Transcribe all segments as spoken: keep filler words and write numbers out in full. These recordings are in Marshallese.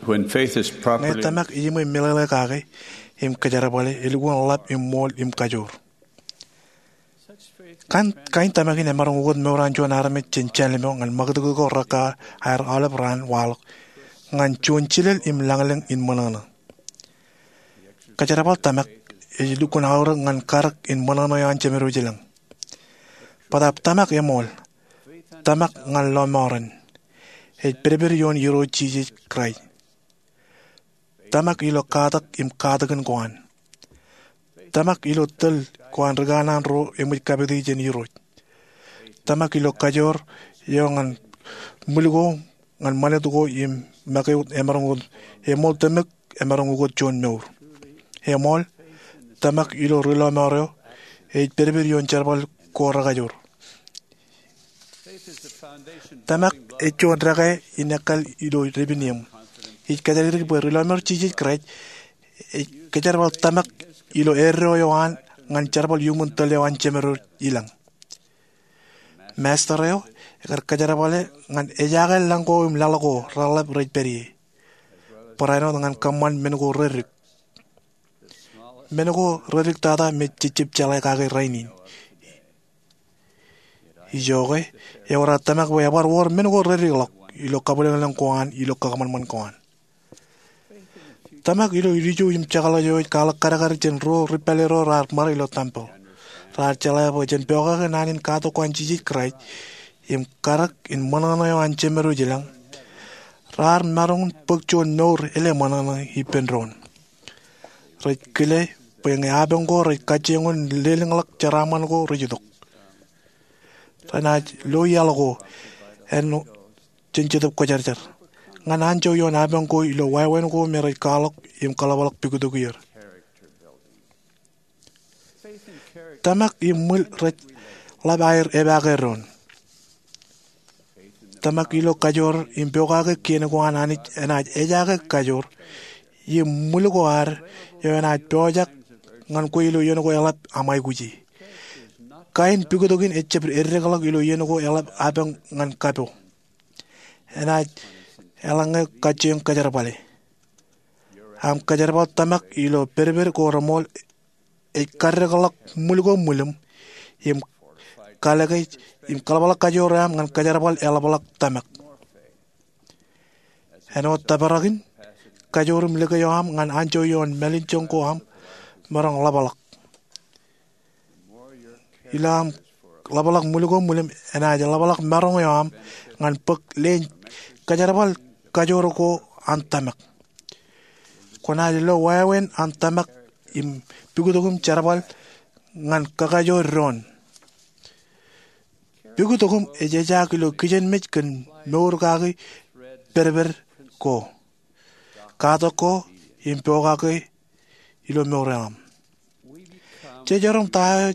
When faith is properly Ñe tōmak ejiṃwe meḷeḷe kake im kōjerbale, elukkuun ḷap im ṃool im kajoor. Kain, kain tōmak in emaroñ ukōt mour an juon armej jān jān lemeo ñan ṃakūtkūt ko rekar aer aolep raan waḷọk ñan juon jilel im lañlōñ in ṃōṇōṇō. Kōjerbal tōmak ej lukkuun aorōk ñan karōk in ṃōṇōṇō eo an Jemedwōj ilañ. Bōtaab tōmak eṃool, tōmak ñan lọmọọren, ej pedped ioon Irooj Jisōs Kraist. Tōmak ilo katak im katakin ko an. Tōmak ilo tōl ko an rikanaan ro eṃōj kapiti jān Irooj. Tōmak ilo kajoor eo ñan ṃwil ko ñan ṃanit ko im make wōt emaroñ ukōt, eṃool tōmak emaroñ ukōt juon mour. Eṃool, tōmak ilo ri lọmọọr eo ej pedped ioon jerbal ko rekajoor. Tōmak ej juon dekā in ekkal ilo dāpin eṃ. Ij kōjatdikdik bwe ri lọmọọr Jisōs Kraist ej kōjerbal tōmak ilo eddo eo an ñan jerbal iuṃwin tōl eo an Jemedwōj ilañ. Master eo ekar kōjerbale ñan ejaake lañ ko im laḷ ko reḷap rej pād ie, barāinwōt ñan kōṃṃan men ko reddik. Men ko reddik tata me jejjab jeḷā kake rainin. Ijoke, ewōr aō tōmak bwe ebar wōr men ko reddikḷọk ilo kabwilōñlōñ ko an ilo kōṃanṃan ko an. Tōmak ilo ilju im jekḷaj eo ej kwaḷọk kadkad jān ro ri pālle ro raar ṃare ilo tempel. Raar jeḷā bwe jān pokake naan in katak ko an Jisōs Kraist im karōk in ṃōṇōṇō eo an Jemedwōj ilañ, raar maroñ in bōk juon mour elōñ ṃōṇōṇō ippān doon. Rej kile bwe ñe apañ ko rej kajjioñ in lelōñḷọk jeraaṃṃan ko rej itok. Renaaj lo iaḷ ko āinwōt jān Jetōb Kwōjarjar ñan anjọ ioon apañ ko ilo wāween ko me rej kwaḷọk im kaḷapḷọk pukot ko er. Tōmak im ṃwil rej ḷap aer epaake doon. Tōmak ilo kajoor im pokake kien ko an Anij enaaj ejaake kajoor im ṃwil ko ad eo enaaj pojak ñan kwe ilo iien ko eḷap aṃ aikuji. Kain pukot kein ejjab eddekḷọk ilo iien ko eḷap apañ ñan kapo. Enaaj eḷaññe kajjioñ kōjerbale. Aṃ kōjerbal tōmak ilo pedped ko reṃool ej kaddekḷọk ṃwil ko ṃwilim im kalōke im kaḷapḷọk kajoor eo aṃ ñan kōjerbal eḷapḷọk tōmak. Āinwōt tōprak in, kajoor im lōke eo aṃ ñan anjọ ioon mālejjoñ ko aṃ maroñ ḷapḷọk. Ilo aṃ ḷapḷọk ṃwil ko ṃwilim enaaj ḷapḷọk maroñ eo aṃ ñan bōk leen kōjerbal kajoor ko an tōmak. Kwōnaaj lo wāween an tōmak im pukot ko im jerbal ñan kakajoor doon. Pukot ko im ej ejaak ilo kijenmej kōn mour kaki pedped ko, katak ko im pokake ilo mour eo aṃ. Jej erom ta eo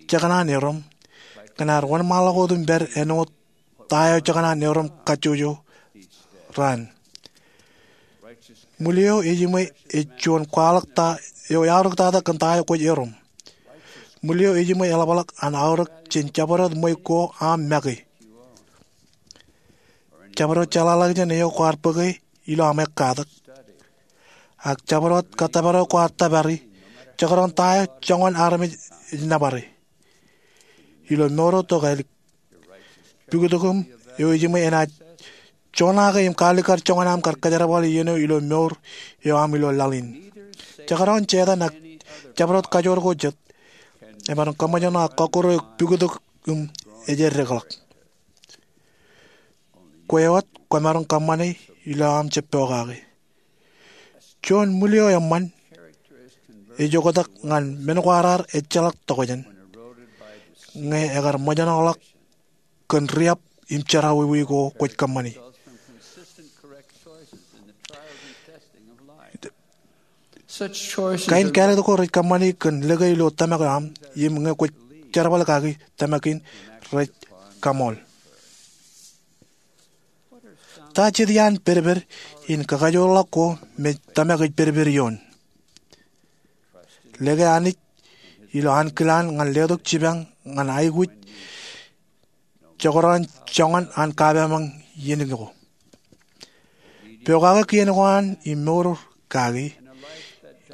jekōṇaan erom kōn ad wōnṃaanḷọk wōt im pād āinwōt ta eo jekōṇaan erom kajjojo raan. Ṃwil eo ejiṃwe ej juon kwaḷọk ta eo eaorōk tata kōn ta eo kwōj erom. Ṃwil eo ejiṃwe eḷapḷọk an aorōk jān jabdewōt ṃweiuk ko aṃ make, jabdewōt jeḷāḷọkjeṇ eo kwaar bōke ilo aṃ ekkatak, ak jabdewōt kōttōpar eo kwaar tōpari, jekdọọn ta eo joñan armej ej nōbare. Ilo mour eo tokālik, pukot ko im eo ejiṃwe enaaj joñake im kaalikkar joñan aṃ kar kōjerbale iien eo ilo mour eo aṃ ilo laḷ in. Jekdọọn Setan ak jabdewōt kajoor ko jet emaroñ kōṃṃoolḷọk kọkkure pukot ko im ej eddekḷọk. Kwe wōt kwōmaroñ kōṃṃane ilo aṃ jab pokake. Juon ṃwil eo eṃṃan ej oktak ñan men ko ad ejjeḷọk tokjān ñe ekar ṃōjṇọḷọk kōn riab im jerọwiwi ko kwōj kōṃṃani. Kain kāālōt ko rej kōṃṃani kōn lōke ilo tōmak eo aṃ im ñe kwōj jerbal kaki tōmak in rej kaṃool. Ta jet iaan pedped in kakajoorḷọk ko me tōmak ej pedped ioon? Lōke Anij ilo ankilaan ñan letok jipañ ñan aikuj jekdọọn joñan an kapaamañ iien ko. Pokake kien ko an im mour kaki,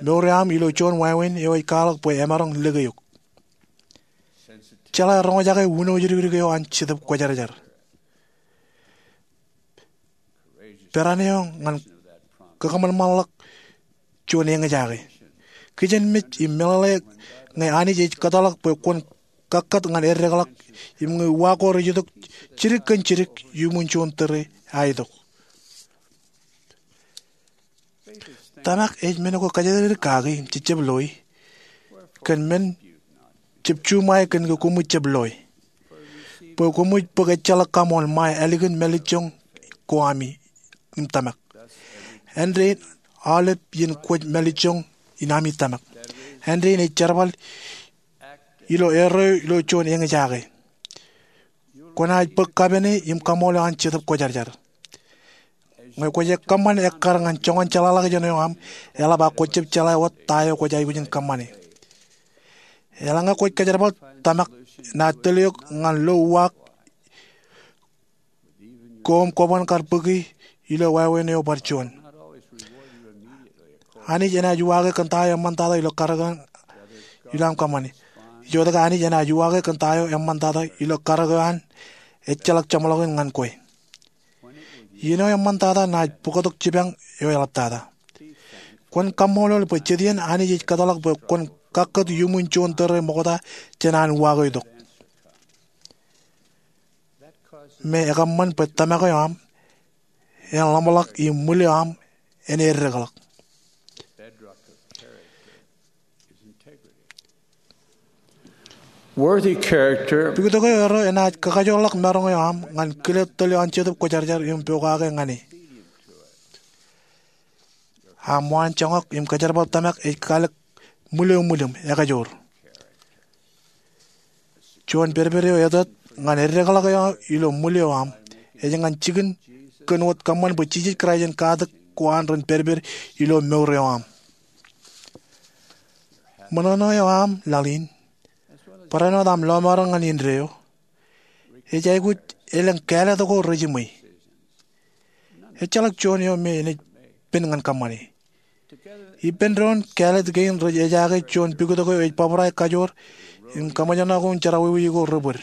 mour eo aṃ ilo juon wāween eo ej kwaḷọk bwe emaroñ lōke eok. Jeḷā roñjake uno jidikdik eo an Jetōb Kwōjarjar. Peran eo ñan kakōṃanṃanḷọk juon eñjake. Kijenmej im meḷeḷe ñe Anij ej kōtḷọk bwe kwōn kakkōt ñan eddekḷọk im ñe uwaak ko rej itok jidik kōn jidik iuṃwin juon tōre ej itok. Tōmak ej men ko kōjatdikdik kaki im jejjab loi kōn men jab juṃae kōn ke koṃij jab loi, bwe koṃij bōk ejjeḷọk kaṃool ṃae ālikin mālejjoñ ko ami im tōmak. Āindein aolep iien kwōj mālejjoñ in ami tōmak. Āindein ej jerbal ilo erreo ilo juon eñjake. Kwōnaaj bōk kapene im kaṃool eo an Jetōb Kwōjarjar. Ñe kwōj kōṃṃan ekkar ñan joñan jeḷāḷọkjeṇ eo aṃ, eḷap ak kwōj jab jeḷā wōt ta eo kwōj aikuj in kōṃṃane. Eḷaññe kwōj kōjerbal tōmak, enaaj tōl eok ñan lo uwaak ko im kwōban kar bōki ilo wāween eo bar juon. Anij enaaj uwaake kōn ta eo eṃṃantata ilo karōk eo an ilo aṃ kōṃṃane. Ijotōk Anij enaaj uwaake kōn ta eo eṃṃantata ilo karōk eo an ejjeḷọk jeṃḷọkin ñan kwe. Iien eo eṃṃantata enaaj bōktok jipañ eo eḷaptata. Kwōn kaṃṃoolol bwe jet iien Anij ej kōtḷọk bwe kwōn kakkōt iuṃwin juon tōre ṃokta jān an uwaak eo itok. Me ekōṃṃan bwe tōmak eo aṃ en ḷōmṇak im ṃwil eo aṃ en eddekḷọk. Worthy character. Pikitok eo erro enaaj kakajoorḷọk maroñ eo aṃ ñan kile tōl eo an Jetōb Kwōjarjar im pokake ñan e. Aṃ waan joñak im kōjerbal tōmak ej kalōk ṃwil eo ṃwilōṃ ekajoor. Juon pedped eo etōt ñan eddekḷọk eo ilo ṃwil eo aṃ ej ñan jikin kōn wōt kōṃṃan bwe Jisōs Kraist en katak ko an ren pedped ilo mour eo aṃ. Ṃōṇōṇō eo aṃ laḷ in, barāinwōt aṃ lọmọọren ñan indeeo, ej aikuj elōñ kāālōt ko rejiṃwe. Ejjeḷọk juon eo me enaaj pen ñan kōṃṃane. Ippān doon kāālōt kein rej ejaake juon pikitok eo ej bōbrae kajoor im kaṃōjṇọ ko im jerọwiwi ko rebōd.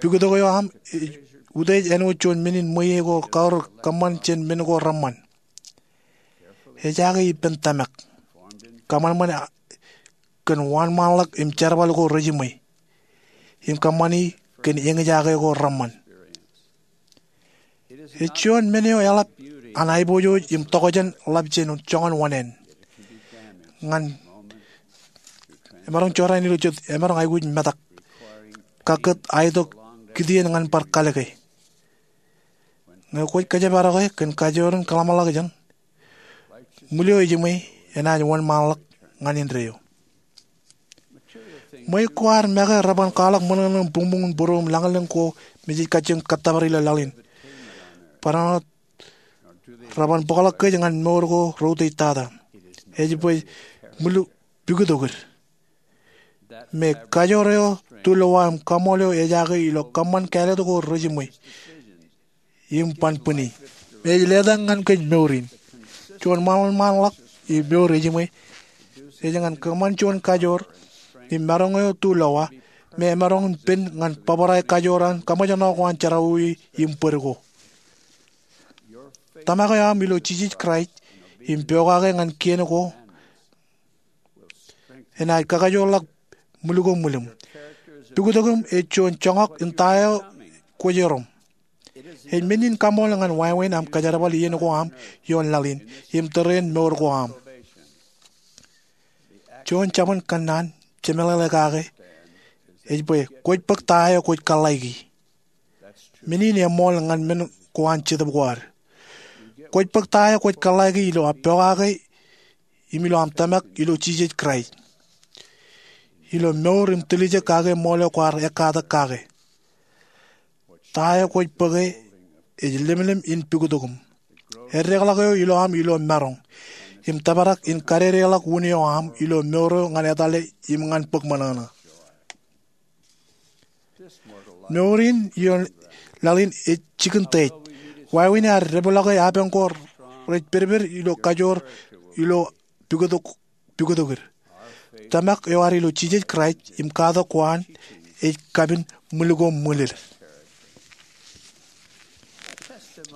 Pikitok eo aṃ ej utiej āinwōt juon men in ṃweiie ko kaorōk kōṃṃan jān men ko reṃṃan. Ejaake ippān tōmak. Kōṃanṃan kōn wōnṃaanḷọk im jerbal ko rejiṃwe im kōṃṃani kōn eñjake ko reṃṃan. Ej juon men eo eḷap an aiboojoj im tokjān ḷap jān joñan oṇāān. Ñan emaroñ jorrāān ilo jet emaroñ aikuj metak, kakkōt aitok kitien ñan bar kalōke. Ñe kwōj kōjparoke kōn kajoor in kōḷmānḷọkjeṇ, ṃwil eo ejiṃwe enaaj wōnṃaanḷọk ñan indeeo. Ṃweiuk ko ad make reban kwaḷọk ṃōṇōṇō im buñbuñ in būruō im lañlōñ ko me jej kajjioñ kōttōpar ilo laḷ in. Barāinwōt reban bōkḷọk kōj ñan mour ko reutiej tata. Ej bwe ṃwil pikitokid. Me kajoor eo tulowa im kaṃool eo ejaake ilo kōṃṃan kāālōt ko rejiṃwe im ban bwini. Ej letak ñan kōj mour in. Juon ṃaanḷọkḷọk im mour ejiṃwe ej ñan kōṃṃan juon kajoor im maroñ eo tulowa me emaroñ in pen ñan bōbrae kajoor an kaṃōjṇọ ko an jerọwiwi im bōd ko. Tōmak eo aṃ ilo Jisōs Kraist im pokake ñan kien ko enaaj kakajoorḷọk ṃwil ko ṃwilōṃ. Pikitokiṃ ej juon joñak in ta eo kwōj erom. Ej men in kaṃool ñan wāween aṃ kōjerbal iien ko aṃ ioon laḷ in im tōrein mour ko aṃ. Juon jabōn kōnnaan jemeḷeḷe kake ej bwe kwōj bōk ta eo kwōj kōḷḷāiki. Men in eṃool ñan men ko an Jetōb ko ad. Kwōj bōk ta eo kwōj kōḷḷāiki ilo aṃ pokake im ilo aṃ tōmak ilo Jisōs Kraist. Ilo mour im tiljek kake ṃool eo kwaar ekkatak kake. Ta eo kwōj bōke ej lemlem in pikitokiṃ. Eddekḷọk eo ilo aṃ ilo maroñ im tōprak in kadedeḷọk wūn eo aṃ ilo mour eo ñan etale im ñan bōk ṃōṇōṇō. Mour in ioon laḷ in ej jikin teiej. Wāween ear depḷọke apañ ko rej pedped ilo kajoor ilo pukotokir. Tōmak eo ad ilo Jisōs Kraist im katak ko an ej kapin ṃwil ko ṃwilel.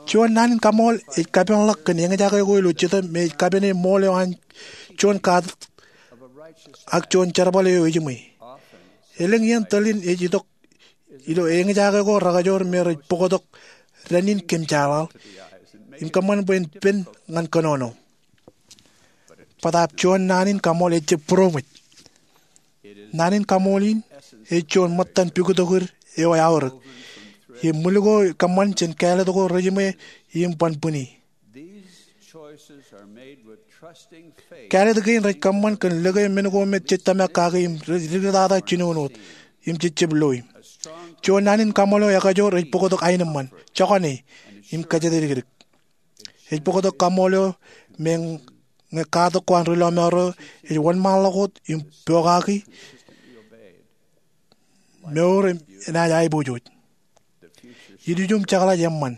Juon naan in kaṃool ej kapeḷḷọk kōn eñjake ko ilo Jetōb me ej kapene ṃool eo an juon katak ak juon jerbal eo ejiṃwe. Elōñ iien tōl in ej itok ilo eñjake ko rekajoor me rej bōktok dān in kōmjeḷaḷ im kōṃṃan bwe en pen ñan kōnono. Bōtaab juon naan in kaṃool ejjab būroṃōj. Naan in kaṃool in ej juon ṃōttan pukotokir eo eaorōk im ṃwil ko kōṃṃan jān kāālōt ko rejiṃwe im ban bwini. Kāālōt kein rej kōṃṃan kōn lōke men ko me jej tōmak kake im rej diktata jinoin wōt im jejjab loe. Juon naan in kaṃool eo ekajoor ej bōktok aenōṃṃan, jokane, im kōjatdikdik. Ej bōktok kaṃool eo me ñe katak ko an ri lọmọọr eo ej wōnṃaanḷọk wōt im pokaki, mour enaaj aiboojoj. Ilju im jekḷaj eṃṃan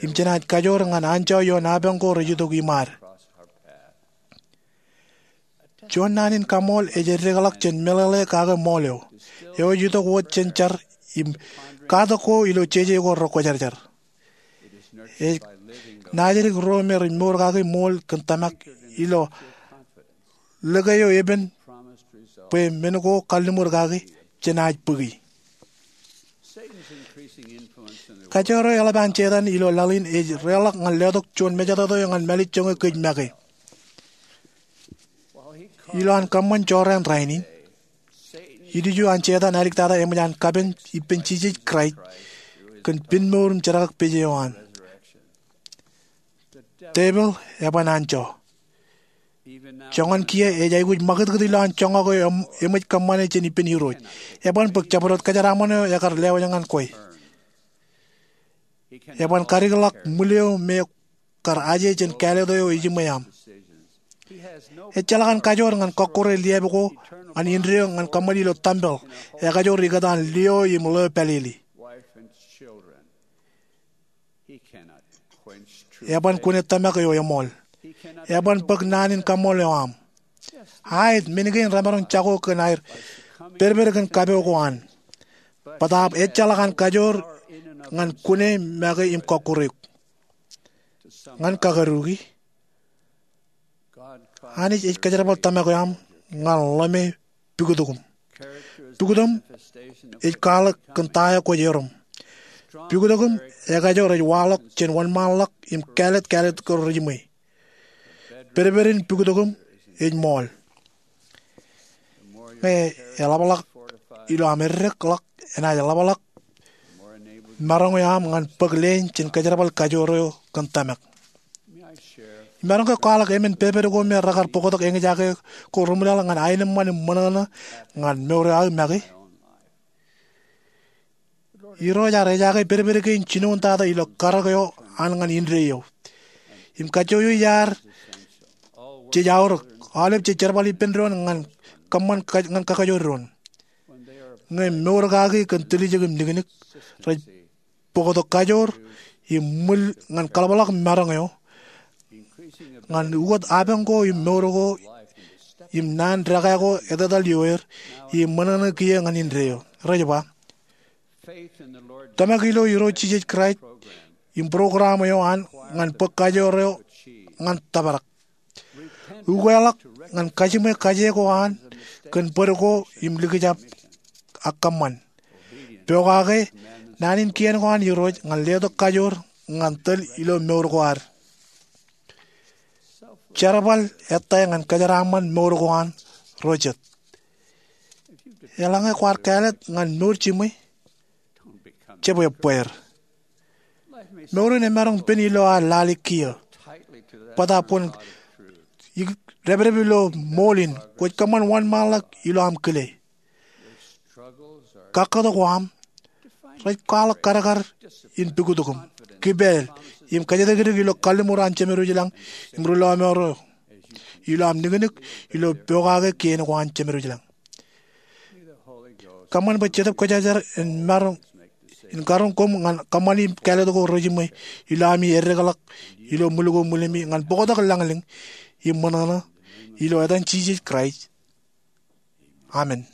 im jenaaj kajoor ñan anjọ ioon apañ ko rej itok iṃaad. Juon naan in kaṃool ej eddekḷọk jān meḷeḷe kake ṃool eo eo ej itok wōt jān jar im katak ko ilo jeje ko rekwōjarjar. Ej naajdik ro me rej mour kaki ṃool kōn tōmak ilo lōke eo epen bwe men ko kalliṃur kake jenaaj bōki. Kajoor eo eḷap an Setan ilo laḷ in ej reḷọk ñan letok juon mejatoto eo ñan mālejjoñe kōj make. Ilo an kōṃṃan jorrāān rainin, ilju an Setan āliktata eṃōj an kapen ippān Jisōs Kraist kōn pinmour im jerkakpeje eo an. Tepil eban anjọ. Joñan kiiō ej aikuj ṃakūtkūt ilo an joñak eo eṃōj kōṃṃane jān ippān Irooj. Eban bōk jabdewōt kōjeraaṃṃan eo ekar lewōj ñan kwe. Eban kadikḷọk ṃwil eo me kar aje jān kāālōt eo ejiṃwe aṃ. Ejjeḷọk an kajoor ñan kọkkure liab ko ñan indeeo ñan kōṃṃan ilo tempel ekajoor ikōtaan lio im ḷeo pālele. Eban kune tōmak eo eṃool. Eban bōk naan in kaṃool eo aṃ. Aet, men kein remaroñ jako kōn aer pedped kōn kapo ko an. Bōtaab ejjeḷọk an kajoor ñan kune make im kọkkure eok. Ñan kakaduki, Anij ej kōjerbal tōmak eo aṃ ñan ḷōme pukotōkōm. Pukotōṃ ej kwaḷọk kōn ta eo kwōj erom. Pukotōkōṃ ekajoor ej waḷọk jān wōnṃaanḷọk im kāālōt, kāālōt ko rejiṃwe. Pedped in pukotōkōṃ ej ṃool. Ñe eḷapḷọk ilo aṃ eddekḷọk, enaaj ḷapḷọk maroñ eo aṃ ñan bōk leen jān kōjerbal kajoor eo kōn tōmak. Im maroñ ke kwaḷọk emān pedped ko me rekar bōktok eñjake ko reṃwilaḷ ñan aenōṃṃan im ṃōṇōṇō ñan mour eo aō make? Irooj ear ejaake pedped kein jinoin tata ilo karōk eo an ñan indeeo. Im kajjojo iaad jej aorōk, aolep jej jerbal ippān doon ñan kōṃṃan ka-, ñan kakajoor doon. Ñe mour kaki kōn tiljek im niknik, rej bōktok kajoor im ṃwil ñan kaḷapḷọk maroñ eo ñan ukōt apañ ko im mour ko im naan dekā ko etetal ioer im ṃōṇōṇō kiiō ñan indeeo. Rej ba, tōmak ilo Irooj Jisōs Kraist im program eo an ñan bōk kajoor eo ñan tōprak. Ukeḷọk ñan kajiṃwe kaje ko an kōn bōd ko im likjab ak kōṃṃan. Pokake naan in kien ko an Irooj ñan letok kajoor ñan tōl ilo mour ko ad. Jerbal ettā ñan kōjeraaṃṃan mour ko an ro jet. Eḷaññe kwaar kāālōt ñan mour jiṃwe, jab ebbeer. Mour in emaroñ pen ilo ad lale kiiō. Bōtaab kwōn depdep ilo ṃool in, kwōj kōṃṃan wōnṃaanḷọk ilo aṃ kile. Kakkōt ko aṃ rej kwaḷọk kadkad in pukotōkōṃ, kipāāl, im kōjatdikdik ilo kalliṃur an Jemedwōj ilañ im ri lọmọọr eo ilo aṃ niknik ilo pokake kien ko an Jemedwōj ilañ. Kōṃṃan bwe Jetōb Kwōjarjar en maroñ in karuñ koṃ ñan kōṃṃani kāālōt ko rejiṃwe ilo ami eddekḷọk ilo ṃwil ko ṃwilemi ñan bōktok lañlōñ im ṃōṇōṇō, ilo etan Jisōs Kraist, amen.